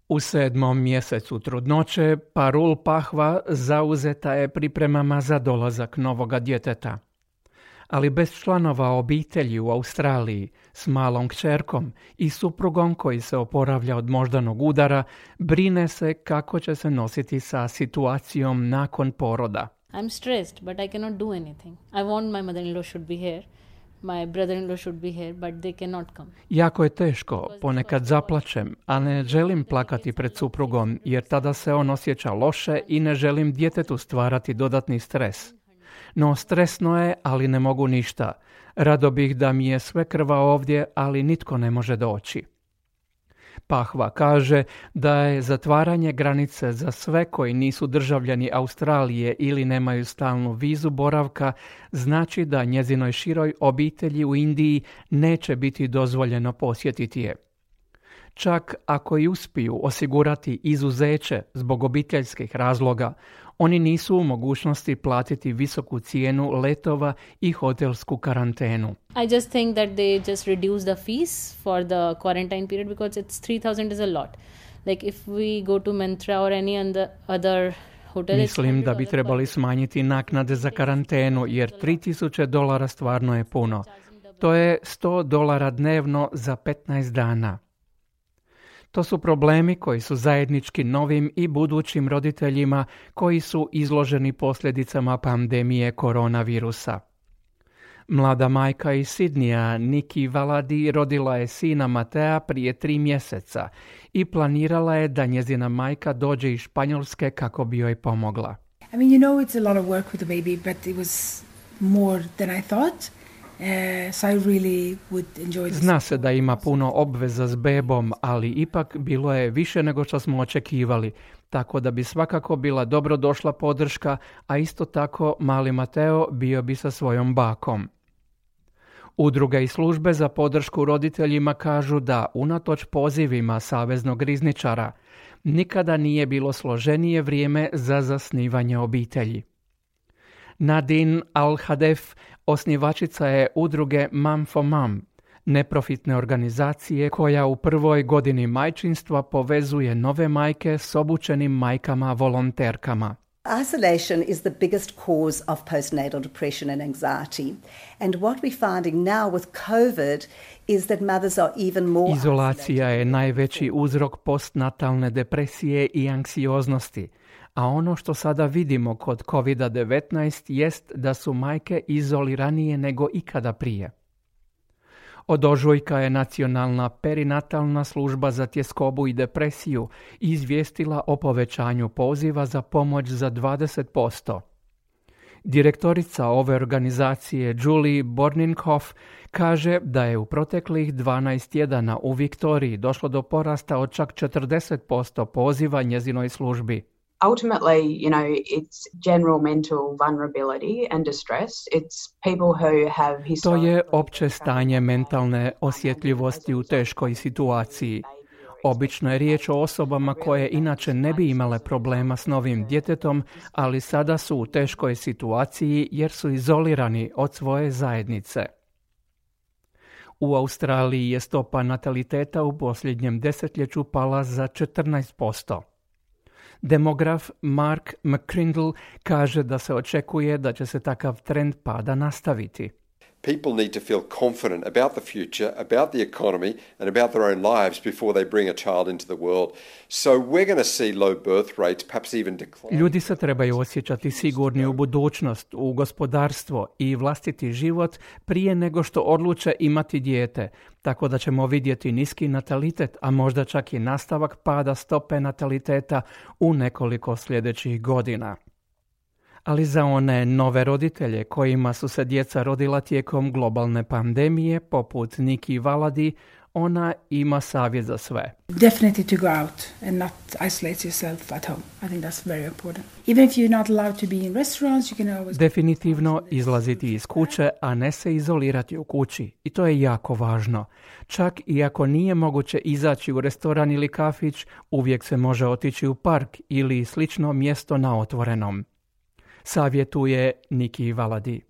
U 7. mjesecu trudnoće Parul Pahva zauzeta je pripremama za dolazak novoga djeteta. Ali bez članova obitelji u Australiji, s malom kćerkom i suprugom koji se oporavlja od moždanog udara, brine se kako će se nositi sa situacijom nakon poroda. I'm stressed, but I cannot do anything. I want my mother-in-law should be here. My brother-in-law should be here, but they cannot come. Jako je teško, ponekad zaplačem, a ne želim plakati pred suprugom jer tada se on osjeća loše i ne želim djetetu stvarati dodatni stres. No stresno je, ali ne mogu ništa. Rado bih da mi je sve krva ovdje, ali nitko ne može doći. Pahva kaže da je zatvaranje granice za sve koji nisu državljani Australije ili nemaju stalnu vizu boravka znači da njezinoj široj obitelji u Indiji neće biti dozvoljeno posjetiti je. Čak ako i uspiju osigurati izuzeće zbog obiteljskih razloga, oni nisu u mogućnosti platiti visoku cijenu letova i hotelsku karantenu. I just think that they just reduce the fees for the quarantine period because it's 3,000 is a lot. Like if we go to Mantra or any other hotel. Mislim da bi trebali smanjiti naknade za karantenu jer $3,000 stvarno je puno. To je $100 dnevno za 15 dana. To su problemi koji su zajednički novim i budućim roditeljima koji su izloženi posljedicama pandemije koronavirusa. Mlada majka iz Sidnija, Nikki Valadi, rodila je sina Matea prije 3 mjeseca i planirala je da njezina majka dođe iz Španjolske kako bi joj pomogla. I mean, it's a lot of work with the baby, but it was more than I thought. So I really would enjoy this. Zna se da ima puno obveza s bebom, ali ipak bilo je više nego što smo očekivali, tako da bi svakako bila dobro došla podrška, a isto tako mali Mateo bio bi sa svojom bakom. Udruge i službe za podršku roditeljima kažu da, unatoč pozivima saveznog rizničara, nikada nije bilo složenije vrijeme za zasnivanje obitelji. Nadine Al-Hadef, osnivačica je udruge Mom for Mom, neprofitne organizacije koja u prvoj godini majčinstva povezuje nove majke s obučenim majkama volonterkama. Isolation is the biggest cause of postnatal depression and anxiety. And what we're finding now with COVID is that mothers are even more Izolacija je najveći uzrok postnatalne depresije i anksioznosti. A ono što sada vidimo kod COVID-19 jest da su majke izoliranije nego ikada prije. Od ožujka je Nacionalna perinatalna služba za tjeskobu i depresiju izvijestila o povećanju poziva za pomoć za 20%. Direktorica ove organizacije Julie Borninkhoff kaže da je u proteklih 12 tjedana u Viktoriji došlo do porasta od čak 40% poziva njezinoj službi. Ultimately, it's general mental vulnerability and distress. It's people who have To je opće stanje mentalne osjetljivosti u teškoj situaciji. Obično je riječ o osobama koje inače ne bi imale problema s novim djetetom, ali sada su u teškoj situaciji jer su izolirani od svoje zajednice. U Australiji je stopa nataliteta u posljednjem desetljeću pala za 14%. Demograf Mark McCrindle kaže da se očekuje da će se takav trend pada nastaviti. People need to feel confident about the future, about the economy and about their own lives before they bring a child into the world. So we're going to see low birth rates, perhaps even decline. Ljudi se trebaju osjećati sigurni u budućnost, u gospodarstvo i vlastiti život prije nego što odluče imati dijete, tako da ćemo vidjeti niski natalitet, a možda čak i nastavak pada stope nataliteta u nekoliko sljedećih godina. Ali za one nove roditelje kojima su se djeca rodila tijekom globalne pandemije, poput Nikki Valadi, ona ima savjet za sve. Definitely to go out and not isolate yourself at home. I think that's very important. Even if you're not allowed to be in restaurants, you can always... Definitivno izlaziti iz kuće, a ne se izolirati u kući. I to je jako važno. Čak i ako nije moguće izaći u restoran ili kafić, uvijek se može otići u park ili slično mjesto na otvorenom. Savjetuje Nikki Valadi.